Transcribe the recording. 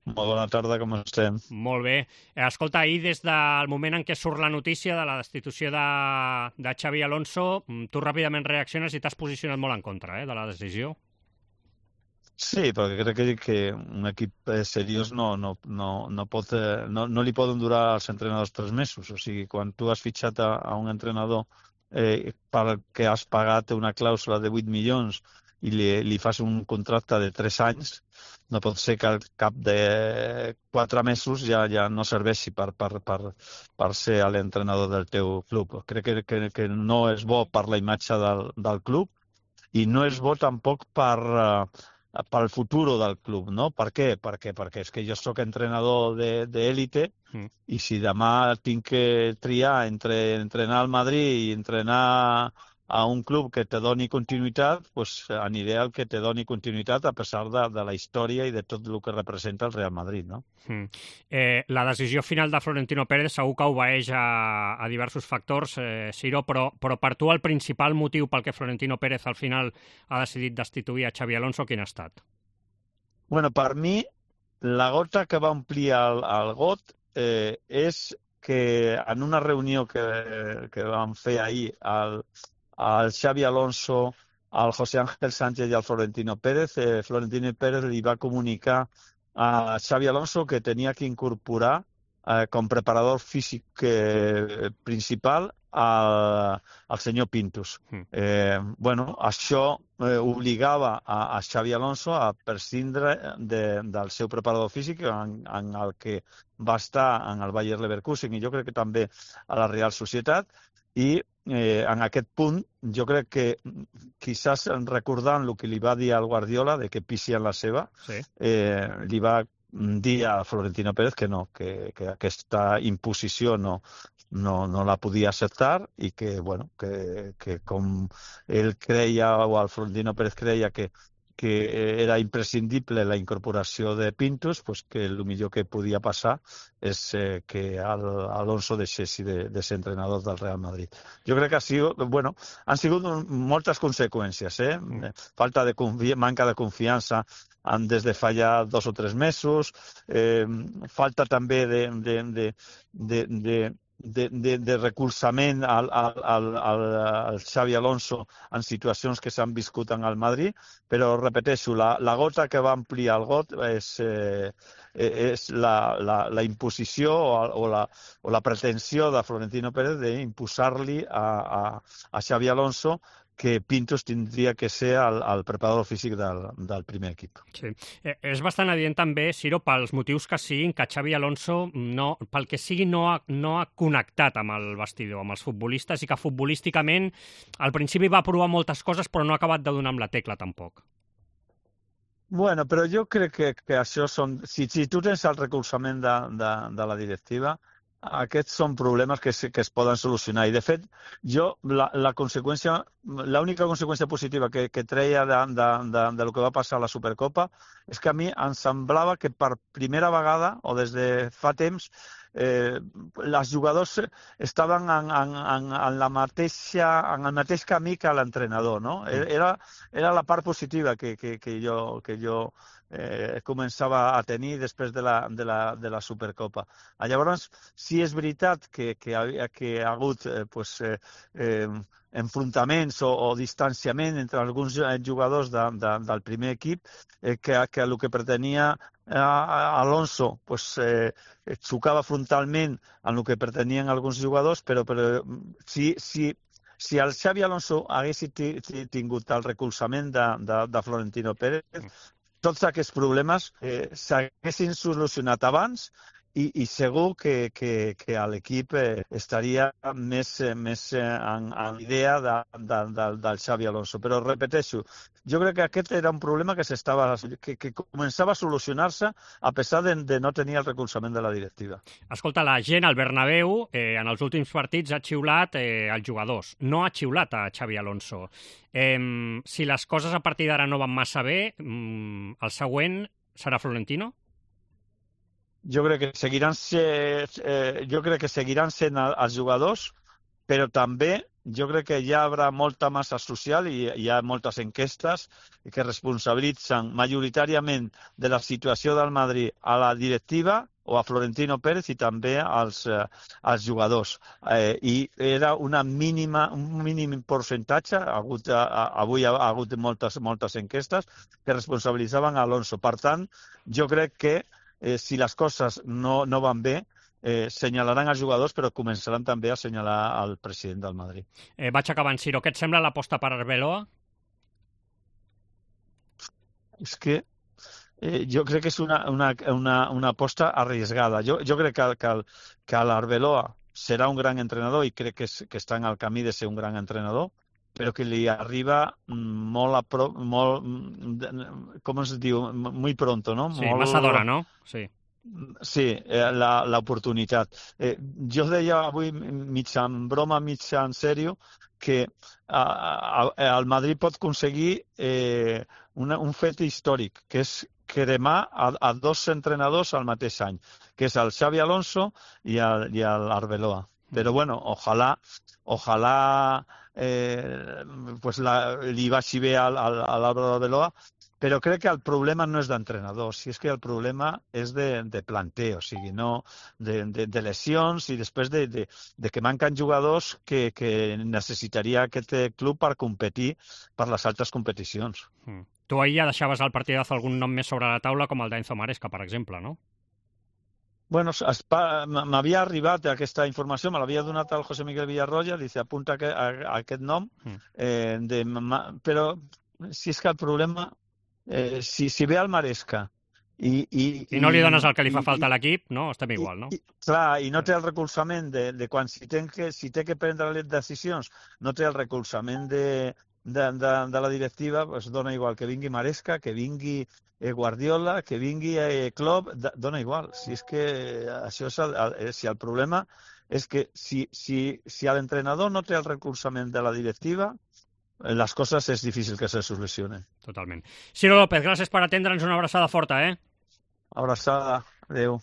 Molt bona tarda, com estem? Molt bé. Escolta, ahir des del moment en què surt la notícia de la destitució de Xavi Alonso, tu ràpidament reacciones i t'has posicionat molt en contra de la decisió. Sí, perquè crec que un equip seriós no li poden durar als entrenadors 3 mesos. O sigui, quan tu has fitxat a un entrenador per que has pagat una clàusula de 8 milions i li fas un contracte de 3 anys, no pot ser que al cap de 4 mesos ja no serveixi per ser l'entrenador del teu club. Crec que no és bo per la imatge del club i no és bo tampoc pel futur del club, no? Per què? Perquè és que jo sóc entrenador d'élite i si demà tinc que triar entre entrenar al Madrid i entrenar a un club que te doni continuïtat, doncs aniré al que te doni continuïtat a pesar de la història i de tot el que representa el Real Madrid, no? La decisió final de Florentino Pérez segur que obeeix a diversos factors, Ciro, però per tu el principal motiu pel que Florentino Pérez al final ha decidit destituir a Xavi Alonso, quin ha estat? Bueno, per mi, la gota que va omplir el got és que en una reunió que vam fer ahir al Xavi Alonso, al José Ángel Sánchez i al Florentino Pérez, Florentino Pérez li va comunicar a Xavi Alonso que tenia que incorporar com preparador físic principal al senyor Pintus. Bueno, això obligava a Xavi Alonso a prescindre del seu preparador físic en el que va estar en el Bayer Leverkusen i jo crec que també a la Real Societat i en aquest punt jo crec que quizás recordant el que li va dir al Guardiola de que pissi en la seva, Sí. li va dir a Florentino Pérez que no, que aquesta imposició no la podia acceptar i que, bueno, que com ell creia o el Florentino Pérez creia que era imprescindible la incorporació de Pintus, pues que el millor que podia passar és que Alonso deixessi de ser entrenador del Real Madrid. Jo crec que han sigut moltes conseqüències. Falta de manca de confiança des de fa ja 2 o 3 mesos, falta també de recolzament al Xavi Alonso en situacions que s'han viscut en el Madrid, però repeteixo, la gota que va ampliar el got és la imposició o la pretensió de Florentino Pérez d'imposar-li a Xavi Alonso que Pintos tindria que ser el preparador físic del primer equip. Sí. És bastant evident també, Ciro, pels motius que siguin, que Xavi Alonso, pel que sigui, no ha connectat amb el vestidor, amb els futbolistes, i que futbolísticament al principi va provar moltes coses però no ha acabat de donar amb la tecla tampoc. Bueno, però jo crec que això són... Si tu tens el recolzament de la directiva, aquests són problemes que es poden solucionar. I, de fet, jo l'única conseqüència positiva que treia del que va passar a la Supercopa és que a mi em semblava que per primera vegada, o des de fa temps, els jugadors estaven en el mateix camí que l'entrenador, no? Era la part positiva que jo començava a tenir després de la Supercopa. Llavors, sí és veritat que ha hagut enfrontaments o distanciament entre alguns jugadors del primer equip, que el que pretenia Alonso xocava frontalment en el que pretenien alguns jugadors, però si el Xavi Alonso hagués tingut el recolzament de Florentino Pérez, tots aquests problemes s'haguessin solucionat abans i segur que l'equip estaria més en l'idea del Xavi Alonso. Però repeteixo, jo crec que aquest era un problema que començava a solucionar-se a pesar de no tenir el recolzament de la directiva. Escolta, la gent al Bernabéu en els últims partits ha xiulat els jugadors, no ha xiulat a Xavi Alonso. Si les coses a partir d'ara no van massa bé, el següent serà Florentino? Jo crec que seguiran sent els jugadors però també jo crec que ja hi haurà molta massa social i hi ha moltes enquestes que responsabilitzen majoritàriament de la situació del Madrid a la directiva o a Florentino Pérez i també als jugadors. I era un mínim percentatge, avui ha hagut moltes enquestes que responsabilitzaven Alonso. Per tant, jo crec que si les coses no van bé, senyalaran els jugadors, però començaran també a senyalar el president del Madrid. Vaig acabant, Ciro. Què et sembla l'aposta per Arbeloa? És que jo crec que és una aposta arriesgada. Jo crec que l'Arbeloa serà un gran entrenador i crec que està en el camí de ser un gran entrenador, però que li arriba molt, com es diu, muy pronto, no? Sí, massa d'hora, no? Sí. Sí, l'oportunitat. Jo deia avui, mig en broma, mig en sèrio, que el Madrid pot aconseguir un fet històric, que és cremar a dos entrenadors al mateix any, que és el Xavi Alonso i l'Arbeloa. Però bueno, ojalà pues li vagi bé a l'Álvaro Arbeloa, però crec que el problema no és d'entrenador, si és que el problema és de planter, o sigui, no de lesions i després de que manquen jugadors que necessitaria aquest club per competir per les altres competicions. Tu ahir ja deixaves al partidazo algun nom més sobre la taula, com el d'Enzo Maresca, per exemple, no? Bueno, m'havia arribat aquesta informació, me l'havia donat el José Miguel Villarroya, dice apunta a aquest nom, però si és que el problema, si ve al Maresca i no li dones el que li fa falta a l'equip, no? Estem igual, no? Clar, i no té el recolzament de quan si té que prendre les decisions, no té el recolzament de la directiva, pues dona igual que vingui Maresca, que vingui Guardiola, que vingui Klopp, dona igual. Si és que això és si el problema és que si l'entrenador no té el recolzament de la directiva, les coses és difícil que se solucionen. Totalment. Ciro López, gràcies per atendre'ns, una abraçada forta, Abraçada, adéu.